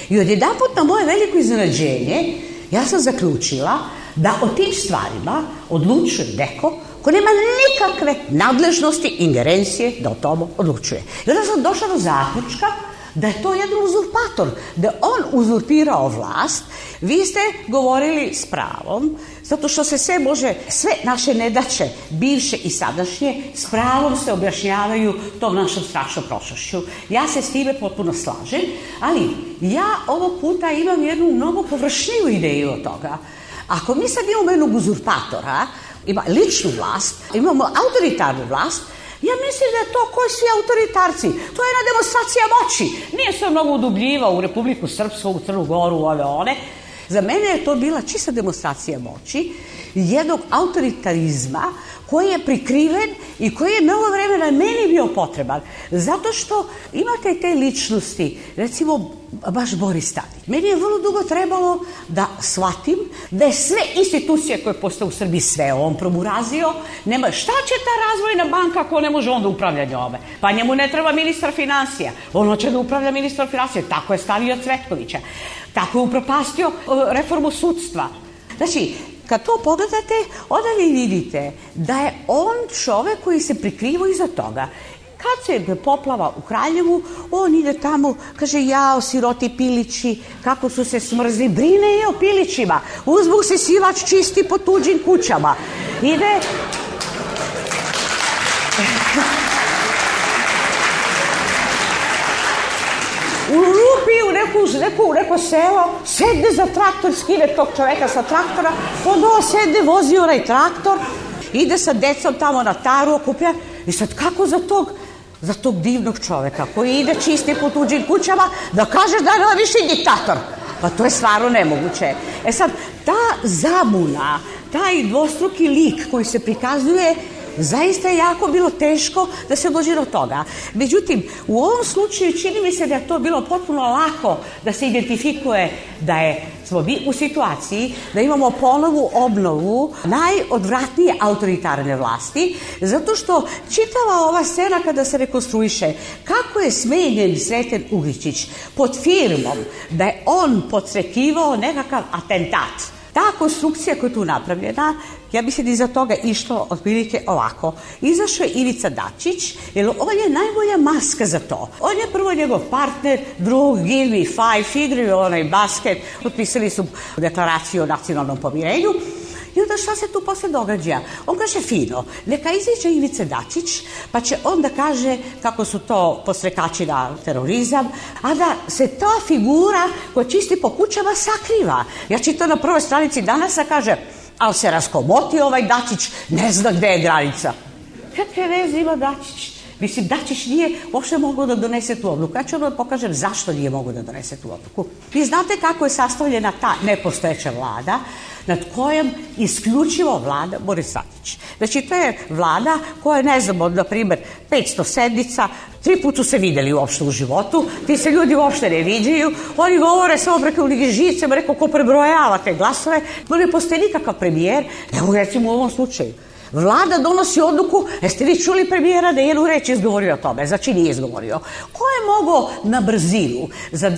I odjedanput na moje veliko iznenađenje, ja sam zaključila da o tim stvarima odlučuje neko ko nema nikakve nadležnosti, ingerencije da o tomu odlučuje. I onda sam došla do zaključka da je to jedan uzurpator, da je on uzurpirao vlast. Vi ste govorili s pravom, zato što se sve naše nedaće, bivše i sadašnje, s pravom se objašnjavaju tom našom strašnom prošlošću. Ja se s time potpuno slažem, ali ja ovog puta imam jednu mnogo površniju ideju od toga. Ako mi sad imamo jednog uzurpatora, ima ličnu vlast, imamo autoritarnu vlast, ja mislim da je to koji svi autoritarci. To je jedna demonstracija moći. Nije se mnogo udubljivao u Republiku Srpsku, u Crnu Goru, ove one. Za mene je to bila čista demonstracija moći, jednog autoritarizma koji je prikriven i koji je mnogo vremena meni bio potreban. Zato što imate te ličnosti, recimo baš Boris Tadić. Meni je vrlo dugo trebalo da shvatim da je sve institucije koje postoje u Srbiji sve on promurazio. Nema, šta će ta razvojna banka ako ne može on da upravlja njome? Pa njemu ne treba ministar finansija. On hoće da upravlja ministar finansija. Tako je stavio Cvetkovića. Tako je upropastio reformu sudstva. Znači, kad to pogledate, onda vi vidite da je on čovek koji se prikrivo iza toga. Kad se poplava u Kraljevu, on ide tamo, kaže, jao, siroti pilići, kako su se smrzli, brine i o pilićima. Uzbog se sivač čisti po tuđim kućama. Ide... Lupi u neko selo, sedne za traktor, skine tog čoveka sa traktora, onda sedne, vozi onaj traktor, ide sa decom tamo na taru, okuplja. I sad kako za tog divnog čoveka koji ide čisti po tuđim kućama da kažeš da je više diktator? Pa to je stvarno nemoguće. Sad, ta zabuna, taj dvostruki lik koji se prikazuje, zaista je jako bilo teško da se dođe do toga. Međutim, u ovom slučaju čini mi se da je to bilo potpuno lako da se identifikuje da smo mi u situaciji da imamo ponovu obnovu najodvratnije autoritarne vlasti, zato što čitava ova scena kada se rekonstruiše kako je smenjen Sreten Ugričić pod firmom da je on podstrekivao nekakav atentat. Ta konstrukcija koja je tu napravljena, ja mislim da iza toga išlo otprilike ovako. Izašao je Ivica Dačić, jer on je najbolja maska za to. On je prvo njegov partner, drug, give me five, igraju onaj basket, potpisali su deklaraciju o nacionalnom pomirenju. I onda šta se tu posle događa? On kaže fino, neka iziđe Ivica Dačić, pa će onda kaže kako su to postrekači na terorizam, a da se ta figura koja čisti po kućama sakriva. Ja čitam na prvoj stranici Danasa, kaže, ali se raskomoti ovaj Dačić, ne zna gde je granica. Kakve veze ima Dačić? Mislim, Dačić nije uopšte mogao da donese tu odluku. Ja ću vam pokažem zašto nije mogao da donese tu odluku. Vi znate kako je sastavljena ta nepostojeća vlada, nad kojom isključivo vlada Boris Tadić. Znači, to je vlada koja je, ne znam, od, na primer, 500 sednica, 3 puta su se videli uopšte u životu, ti se ljudi uopšte ne viđaju, oni govore samo preko žicama, rekao ko prebrojava te glasove, ne postoji nikakav premijer, evo recimo u ovom slučaju. Vlada donosi odluku, jeste vi čuli premijera da je jednu reč izgovorio o tome, znači nije izgovorio. Ko je mogao na brzinu za 24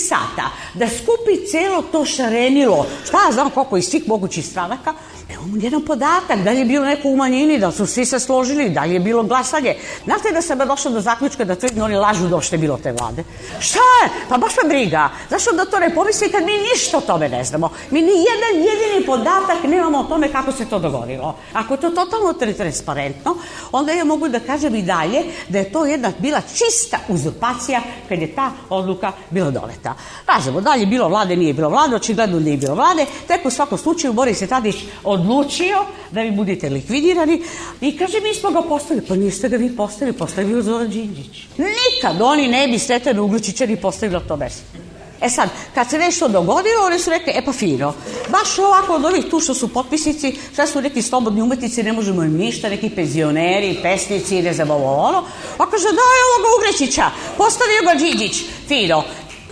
sata da skupi celo to šarenilo, šta ja znam koliko iz svih mogućih stranaka, nemamo jedan podatak, da li je bilo neko u manjini, da su svi se složili, da li je bilo glasanje. Znate da sam došla do zaključka da tvrdim oni lažu da uopšte je bilo te vlade. Šta je? Pa baš me briga. Zašto da to ne pomisli kad mi ništa o tome ne znamo? Mi ni jedan jedini podatak nemamo o tome kako se to dogodilo. Ako je to totalno transparentno, onda ja mogu da kažem i dalje da je to jedna bila čista uzurpacija kad je ta odluka bila doneta. Kažemo, da li je bilo vlade, nije bilo vlade, očigledno nije bilo vlade, tek u svakom slučaju Boris Tadić odlučio da vi budete likvidirani i kaže mi smo ga postavili, pa niste ga vi postavili, postavili Zoran Đinđić. Nikad oni ne bi Sretena Uglječića ni postavili na to mesto. E sad, kad se nešto dogodilo, oni su rekli, pa fino, baš ovako od ovih tu što su potpisnici, šta su neki slobodni umetnici, ne možemo im ništa, neki penzioneri, pesnici, ne znam ovo, pa kaže, daj ovoga Uglječića, postavio ga Đinđić, fino.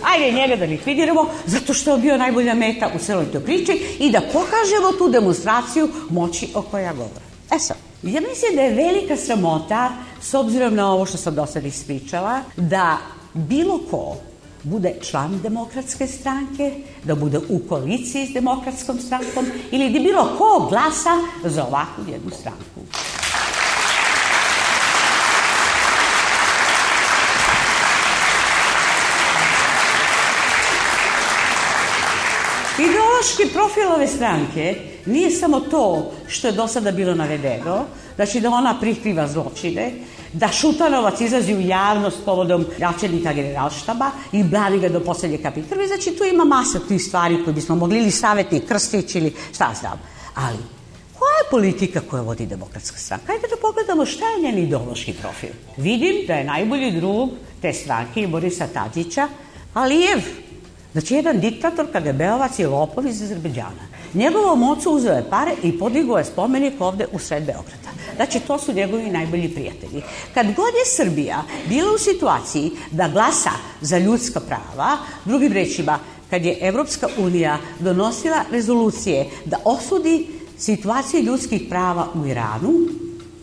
Ajde njega da likvidiramo, zato što je bio najbolja meta u celoj toj priči i da pokažemo tu demonstraciju moći o kojoj ja govorim. E sad, ja mislim da je velika sramota, s obzirom na ovo što sam do sada ispričala, da bilo ko bude član Demokratske stranke, da bude u koaliciji s Demokratskom strankom ili da bilo ko glasa za ovakvu jednu stranku. Ideološki profil ove stranke nije samo to što je do sada bilo navedeno, znači da ona prikriva zločine, da Šutanovac izlazi u javnost povodom načelnika generalštaba i brani ga do poslednje kapi krvi, znači tu ima masa tih stvari koje bismo mogli ili savjetnik Krstić ili šta znam. Ali, koja je politika koja vodi Demokratska stranka? Hajde da pogledamo šta je njen ideološki profil. Vidim da je najbolji drug te stranke Borisa Tadića Alijev. Znači, jedan diktator KGB-ovac je lopov iz Azerbejdžana. Njegovom ocu uzeo je pare i podigao je spomenik ovde u sred Beograda. Znači, to su njegovi najbolji prijatelji. Kad god je Srbija bila u situaciji da glasa za ljudska prava, drugim rečima, kad je Evropska unija donosila rezolucije da osudi situaciju ljudskih prava u Iranu,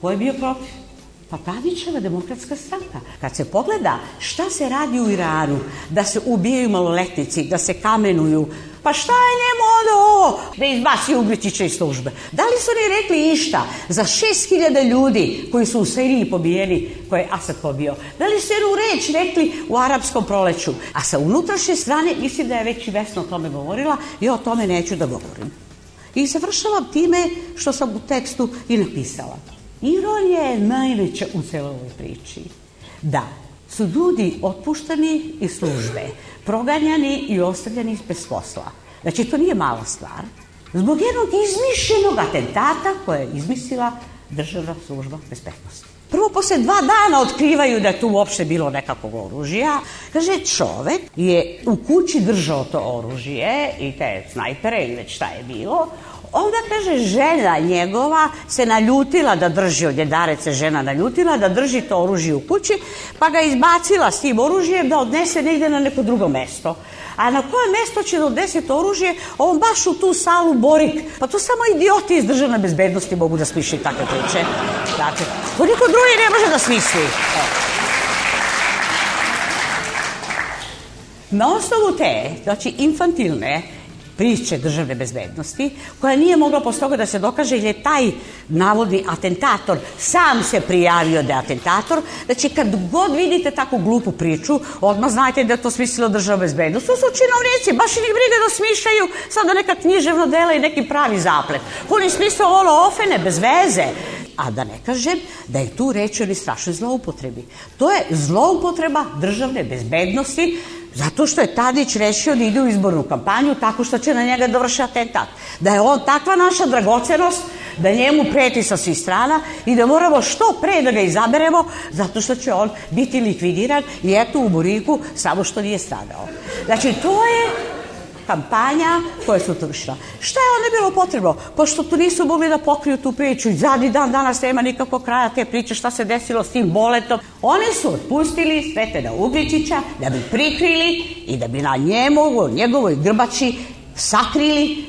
ko je bio protiv? Pa Tadićeva Demokratska stranka. Kad se pogleda šta se radi u Iranu, da se ubijaju maloletnici, da se kamenuju, pa šta je njemu onda ovo? Da izbaci Uglječića iz službe. Da li su oni rekli išta za 6.000 ljudi koji su u Siriji pobijeni, koje je Asad pobio? Da li su jednu reč rekli u arapskom proleću? A sa unutrašnje strane, mislim da je već i Vesna o tome govorila, ja o tome neću da govorim. I završavam time što sam u tekstu i napisala. Ironija je najveća u celoj ovoj priči. Da su ljudi otpuštani iz službe, proganjani i ostavljani bez posla. Znači, to nije mala stvar. Zbog jednog izmišljenog atentata koje je izmislila Državna služba bezbednosti. Prvo, posle 2 dana otkrivaju da je tu uopšte bilo nekakvog oružja. Kaže, čovek je u kući držao to oružje i te snajpere ili već šta je bilo. Onda, kaže, žena njegova se naljutila da drži, od jedare se žena naljutila da drži to oružje u kući, pa ga izbacila s tim oružjem da odnese negde na neko drugo mesto. A na koje mesto će da odnese to oružje? On baš u tu salu Borik. Pa to samo idioti iz državne bezbednosti mogu da smišljaju takve priče. Dakle, to niko drugi ne može da smisli. Na osnovu te, znači infantilne priče državne bezbednosti, koja nije mogla posle toga da se dokaže jer je taj navodni atentator sam se prijavio da je atentator. Znači, kad god vidite takvu glupu priču, odmah znajte da je to smislilo državna bezbednost. To su činovnici, baš i njih briga da smišljaju sada neka književno dela i neki pravi zaplet. Oni smisle ovo ofene, bez veze. A da ne kažem da je tu reč o strašnoj zloupotrebi. To je zloupotreba državne bezbednosti zato što je Tadić rešio da ide u izbornu kampanju tako što će na njega dovrši atentat. Da je on takva naša dragocenost da njemu preti sa svih strana i da moramo što pre da ga izaberemo zato što će on biti likvidiran i eto u Boriku samo što nije stradao. Znači, to je kampanja koja su to vršila. Šta je onda bilo potrebno? Pošto tu nisu mogli da pokriju tu priču i zadnji dan danas nema nikakvog kraja te priče šta se desilo s tim Boletom. Oni su otpustili Svetena Ugričića da bi prikrili i da bi na njemu, njegovoj grbači sakrili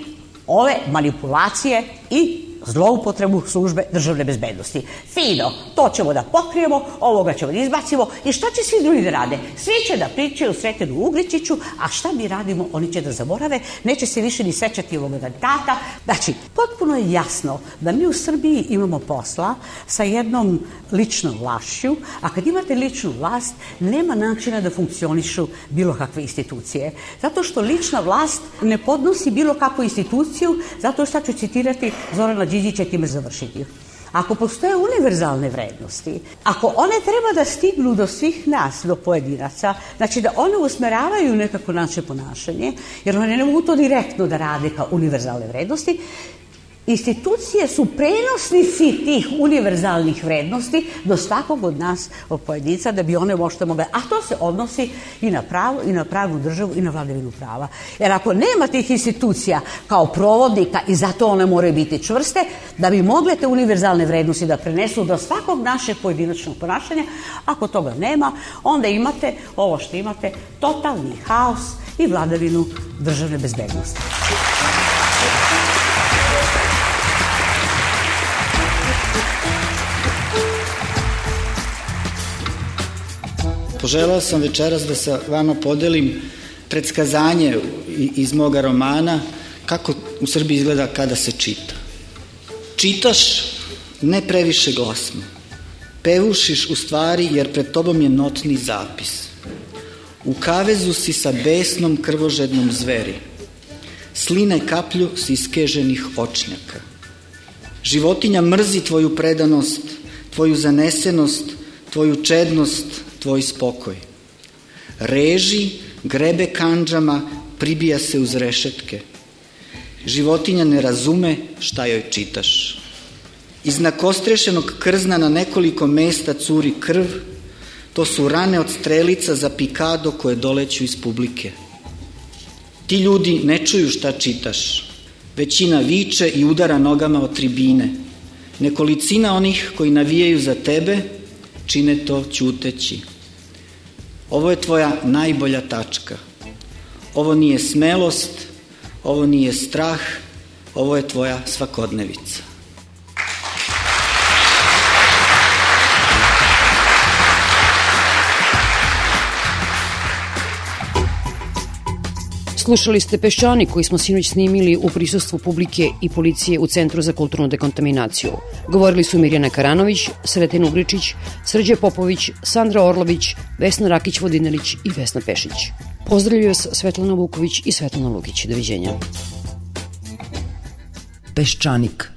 ove manipulacije i zloupotrebu službe državne bezbednosti. Fino, to ćemo da pokrijemo, ovoga ćemo da izbacimo i šta će svi drugi da rade? Svi će da pričaju Sretenu Ugričiću, a šta mi radimo? Oni će da zaborave, neće se više ni sećati ovog atentata. Znači, potpuno je jasno da mi u Srbiji imamo posla sa jednom ličnom vlašću, a kad imate ličnu vlast, nema načina da funkcionišu bilo kakve institucije. Zato što lična vlast ne podnosi bilo kakvu instituciju, zato što ću citirati Zorana Đinđića, time završiti. Ako postoje univerzalne vrednosti, ako one treba da stignu do svih nas, do pojedinaca, znači da one usmeravaju nekako naše ponašanje, jer one ne mogu to direktno da rade kao univerzalne vrednosti, institucije su prenosnici tih univerzalnih vrednosti do svakog od nas, od pojedinca, da bi one možda mogle, a to se odnosi i na pravo, i na pravnu državu, i na vladavinu prava. Jer ako nema tih institucija kao provodnika i zato one moraju biti čvrste, da bi mogle te univerzalne vrednosti da prenesu do svakog našeg pojedinačnog ponašanja, ako toga nema, onda imate ovo što imate, totalni haos i vladavinu državne bezbednosti. Poželao sam večeras da sa vama podelim predskazanje iz moga romana kako u Srbiji izgleda kada se čita. Čitaš ne previše glasno, pevušiš u stvari jer pred tobom je notni zapis. U kavezu si sa besnom krvožednom zveri, sline kaplju s iskeženih očnjaka. Životinja mrzi tvoju predanost, tvoju zanesenost, tvoju čednost, tvoj spokoj. Reži, grebe kandžama, pribija se uz rešetke. Životinja ne razume šta joj čitaš. Iz nakostrešenog krzna na nekoliko mesta curi krv, to su rane od strelica za pikado koje doleću iz publike. Ti ljudi ne čuju šta čitaš. Većina viče i udara nogama od tribine. Nekolicina onih koji navijaju za tebe čine to ćuteći. Ovo je tvoja najbolja tačka. Ovo nije smelost, ovo nije strah, ovo je tvoja svakodnevica. Slušali ste Peščanik koji smo sinoć snimili u prisustvu publike i policije u Centru za kulturnu dekontaminaciju. Govorili su Mirjana Karanović, Sreten Ugričić, Srđe Popović, Sandra Orlović, Vesna Rakić-Vodinelić i Vesna Pešić. Pozdravljaju vas Svetlana Vuković i Svetlana Lukić. Doviđenja. Peščanik.